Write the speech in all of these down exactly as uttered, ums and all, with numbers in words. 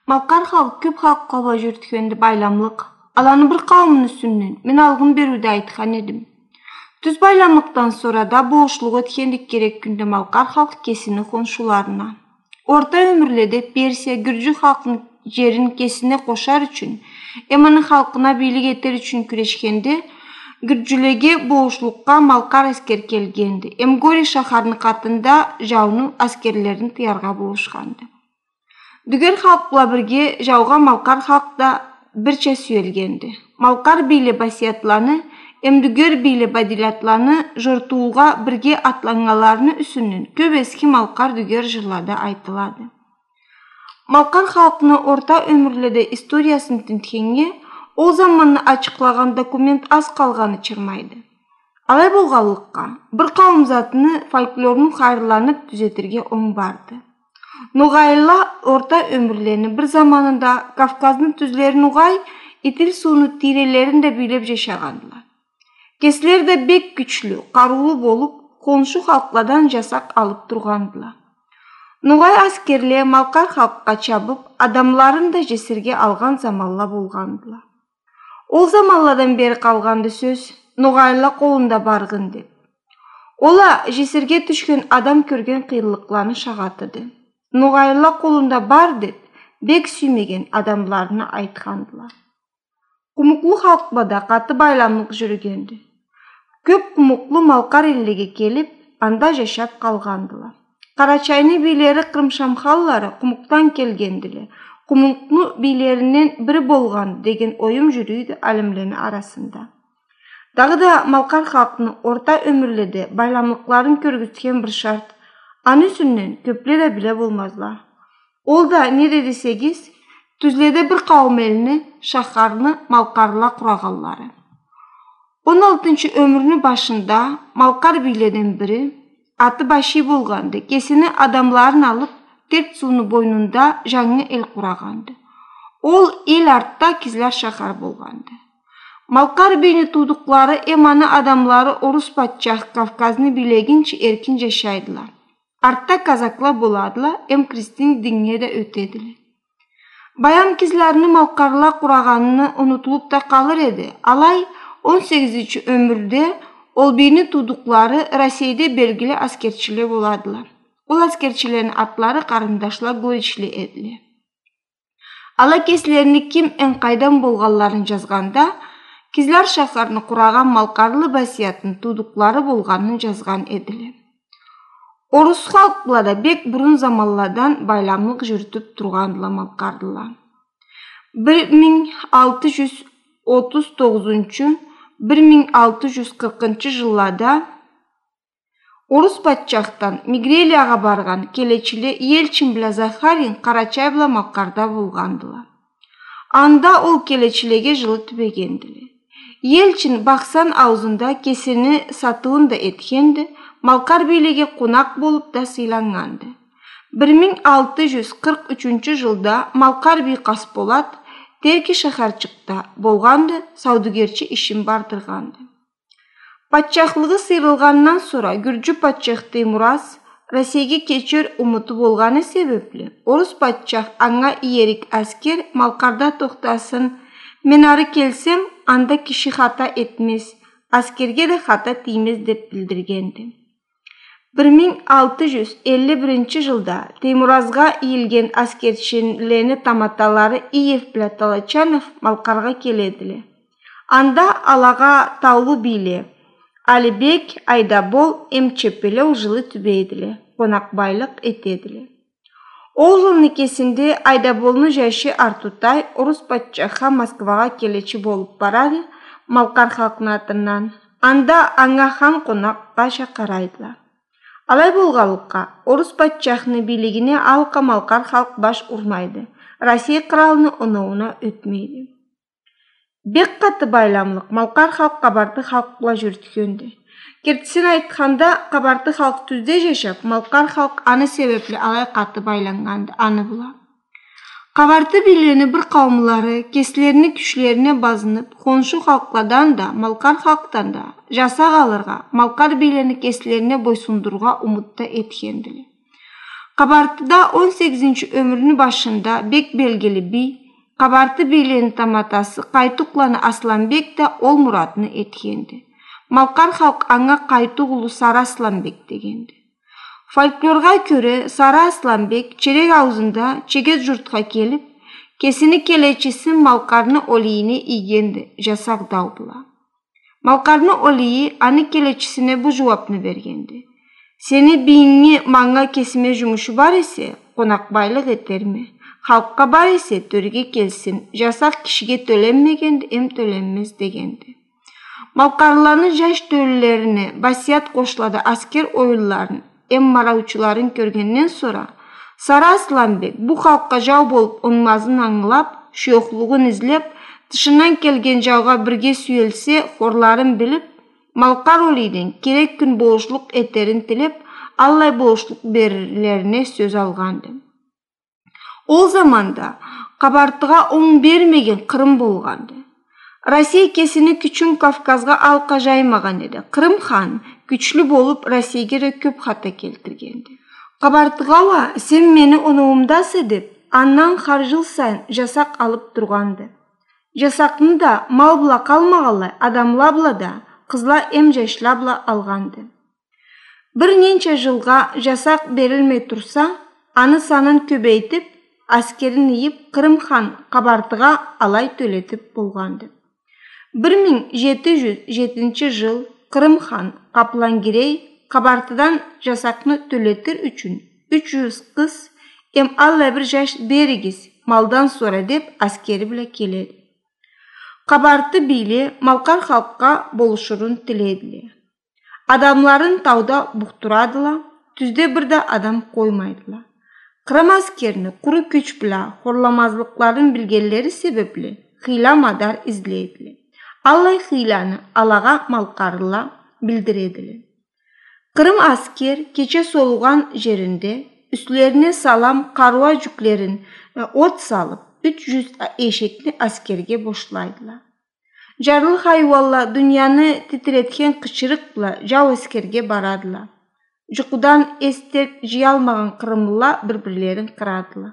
Малкъар халкъ кёп халкъла бла жюрютгенди байламлыкъ. Аланы бир къауумну юсюнден мен алгъын бериуде айтхан эдим. Тюз байламлыкъдан сора да болушлукъ этгенди керек кюнде малкъар халкъ кесини хоншуларына. Орта ёмюрледе Персия гюржю халкъны жерин кесине къошар ючюн, эм аны халкъына бийлик этер ючюн кюрешгенде, гюржюлеге болушлукъгъа малкъар аскер келгенди, эм Гори шахарны къатында жауну аскерлерин тыяргъа болушханды. Дюгер халкъ бла бирге жаугъа малкъар халкъ да бирча сюелгенди. Малкъар бийле Басиятланы эм дюгер бийле Бадилятланы жортуугъа бирге атланнганларыны юсюнден кёп эски малкъар дюгер жырлада айтылады. Малкъар халкъны орта ёмюрледе историясын тинтгеннге, ол заманны ачыкълагъан документ аз къалгъаны чырмайды. Алай болгъанлыкъгъа, бир къауум затны фольклорну хайырланып тюзетирге онг барды. Ногъайла орта ёмюрлени бир заманында Кавказны тюзлери ногъай, Итил сууну тийрелерин да бийлеп жашагъандыла. Кеслери да бек кючлю, къарыулу болуп, хоншу халкъладан жасакъ алып тургъандыла. Ногъай аскерле малкъар халкъгъа чабып, адамларын да жесирге алгъан заманла болгъандыла. Ол заманладан бери къалгъанды сёз: ногъайла къолунда баргъын деп. Ол а жесирге тюшген адам кёрген къыйынлыкъланы шагъатыды. Ногъайла къолунда бар деп, бек сюймеген адамларына айтхандыла. Къумукълу халкъ бла да къаты байламлыкъ жюрюгенди. Кёп къумукълу малкъар эллеге келип, анда жашап къалгъандыла. Къарачайны бийлери Къырымшамхаллары Къумукъдан келгендиле. Къумукъну бийлеринден бири болгъанды деген оюм жюрюйдю алимлени арасында. Дагъыда малкъар халкъны орта ёмюрледе байламлыкъларын кёргюзтген бир шарт, аны юсюнден кёпле да биле болмазла. Ол да неди десегиз, тюзледе бир къауум элни, шахарны малкъарла къурагъанлары. Он алтынчы ёмюрню башында малкъар бийледен бири, аты Баши болгъанды, кесини адамларын алып, Терк сууну бойнунда жангы эл къурагъанды. Ол эл артда Кизляр шахар болгъанды. Малкъар бийни туудукълары эм аны адамлары орус патчах Кавказны бийлегинчи эркин жашайдыла. Артда казакла боладыла эм христиан диннге да ётедиле. Баям Кизлярны малкъарла къурагъаны унутулуп да къалыр эди. Алай, он сегизинчи ёмюрде ол бийни туудукълары Россейде белгили аскерчиле боладыла. Ол аскерчилени атлары къарындашла Горичле эдиле. Ала кеслерини ким эм къайдан болгъанларын жазгъанда, Кизляр шахарны къурагъан малкъарлы Басиятны туудукълары болгъанын жазгъан эдиле. Орус халкъ бла да бек бурун заманладан байламлыкъ жюрютюп тургъандыла малкъарлыла. Бир минг алты жюз отуз тогъузунчу, бир минг алты жюз къыркъынчы жыллада орус патчахдан Мигрелиягъа баргъан келечиле Ельчин бла Захарин Къарачай бла Малкъарда болгъандыла. Анда ол келечилеге жылы тюбегендиле. Ельчин Бахсан аузунда кесини сатыуун да этгенди, малкъар бийлеге къонакъ болуп да сыйланнганды. Бир минг алты жюз къыркъ ючюнчю жылда малкъар бий Къасболат Терки шахарчыкъда болгъанды, саудагерчи ишин бардыргъанды. Патчахлыгъы сыйрылгъандан сора гюржю патчах Теймураз Россейге кечер умуту болгъаны себепли, орус патчах анга иерик аскер Малкъарда тохтасын, мен ары келсем, анда киши хата этмез, аскерге да хата тиймез деп билдиргенди. Бир минг алты жюз элли биринчи жылда Теймуразгъа ийилген аскерчилени таматалары Иев бла Толочанов Малкъаргъа келедиле. Анда алагъа таулу бийле Алибек, Айдабол эм Чепелеу жылы тюбейдиле, къонакъбайлыкъ этедиле. Ол жылны кесинде Айдаболну жашы Артутай орус патчахха Москвагъа келечи болуп барады, малкъар халкъны атындан. Анда анга хан къонакъгъа чакъырайдыла. Алай болгъанлыкъгъа, орус патчахны бийлигине алкъа малкъар халкъ баш урмайды, Россей къралны оноууна ётмейди. Бек къаты байламлыкъ малкъар халкъ къабарты халкъ бла жюрютгенди. Кертисин айтханда, къабарты халкъ тюзде жашап, малкъар халкъ аны себепли алай къаты байланнганды аны бла. Къабарты бийлени бир къауумлары кеслерини кючлерине базынып, хоншу халкъладан да, малкъар халкъдан да жасакъ алыргъа, малкъар бийлени кеслерине бойсундурургъа умут да этгендиле. Къабартыда он сегизинчи ёмюрню башында бек белгили бий, Къабарты бийлени таматасы Къайтукъланы Асланбек да ол муратны этгенди. Малкъар халкъ анга Къайтук улу Сары Асланбек дегенди. Фольклоргъа кёре, Сары Асланбек черек ауузунда Чегет журтха келип, кесини келечисин Малкъарны Олийине ийгенди, жасакъ дау бла. Малкъарны Олийи аны келечисине бу жууапны бергенди: «Сени бийинги манга кесиме жумушу бар эсе, къонакъбайлыкъ этерме, халкъгъа бар эсе, тёреге келсин, жасакъ кишиге тёленмегенди эм тёленмез», — дегенди. Малкъарлыланы жаш тёлюлерине басият къошулады аскер оюнларын эм мараучуларын кёргенден сора, Сары Асланбек бу халкъгъа жау болуп унмазын ангылап, шуёхлугъун излеп, тышындан келген жаугъа бирге сюелсе, хорларын билип, Малкъар Олийден керек кюн болушлукъ этерин тилеп, аллай болушлукъ берирлерине сёз алгъанды. Ол заманда Къабартыгъа онг бермеген Къырым болгъанды. Россия кесини кючюн Кавказгъа алкъа жаймагъан эди. Къырым хан кючлю болуп, Россейге да кёп хата келтиргенди. Къабартыгъа уа: «Сен мени оноуумдаса», — деп, андан хар жыл сайын жасакъ алып тургъанды. Жасакъны да мал бла къалмагъанлай, адамла бла да, къызла эм жашла бла алгъанды. Бир ненча жылгъа жасакъ берилмей турса, аны санын кёбейтип, аскерин ыйып, Къырым хан Къабартыгъа алай тёлетип болгъанды. Бир минг жети жюз жетинчи жыл Къырым хан Къаплангирей Къабартыдан жасакъны тёлетир ючюн юч жюз къыз эм аллай бир жаш беригиз, малдан сора деп, аскери бла келеди. Къабарты бийле малкъар халкъгъа болушурун тилейдиле. Адамларын тауда бухтурадыла, тюзде бир да адам къоймайдыла. Къырым аскерни къуру кюч бла хорламазлыкъларын билгенлери себепли, хыйла-мадар излейдиле. Аллай хыйланы алагъа малкъарлыла билдиредиле. Къырым аскер кече солугъан жеринде юслерине салам къарыуа жюклерин, э, от салып, юч жюз эшекни аскерге бошлайдыла. Жарлы хайыуанла дунияны титиретген къычырыкъ бла жау аскерге барадыла. Жукъудан эс-терк жыялмагъан къырымлыла бир-бирлерин къырадыла.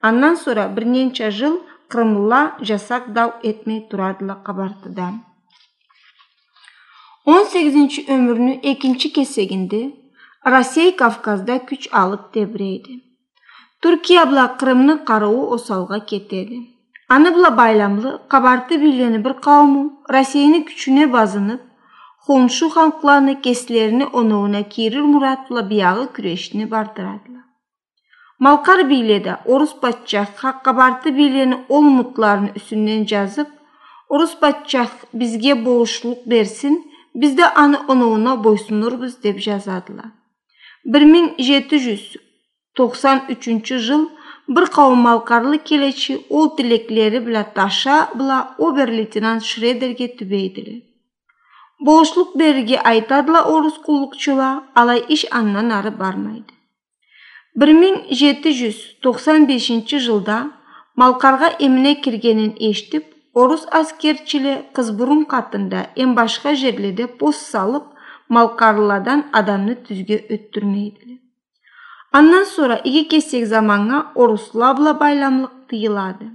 Андан сора бир ненча жыл къырымлыла жасакъ дау этмей турадыла Къабартыдан. Он сегизинчи ёмюрню экинчи кесегинде Россей Кавказда кюч алып тебирейди. Туркия бла Къырымны къарыуу осалгъа кетеди. Аны бла байламлы къабарты бийлени бир къаууму Россейни кючюне базынып, хоншу халкъланы кеслерини оноууна кийирир мурат бла биягъы кюрешни бардырадыла. Малкъар бийле да орус патчахха къабарты бийлени ол умутларыны юсюнден жазып, орус патчах бизге болушлукъ берсин, биз да аны оноууна бойсунурбуз, деп жазадыла. Бир минг жети жюз токъсан ючюнчю жыл бир къауум малкъарлы келечи ол тилеклери бла Таша бла обер-лейтенант Шредерге тюбейдиле. Болушлукъ берирге айтадыла орус къуллукъчула, алай иш андан ары бармайды. Бир минг жети жюз токъсан бешинчи жылда Малкъаргъа эмине киргенин эшитип, орус аскерчиле Къызбурун къатында эм башха жерледе пост салып, малкъарлыладан адамны тюзге ётдюрмейдиле. Андан сора иги кесек заманнга орусла бла байламлыкъ тыйылады.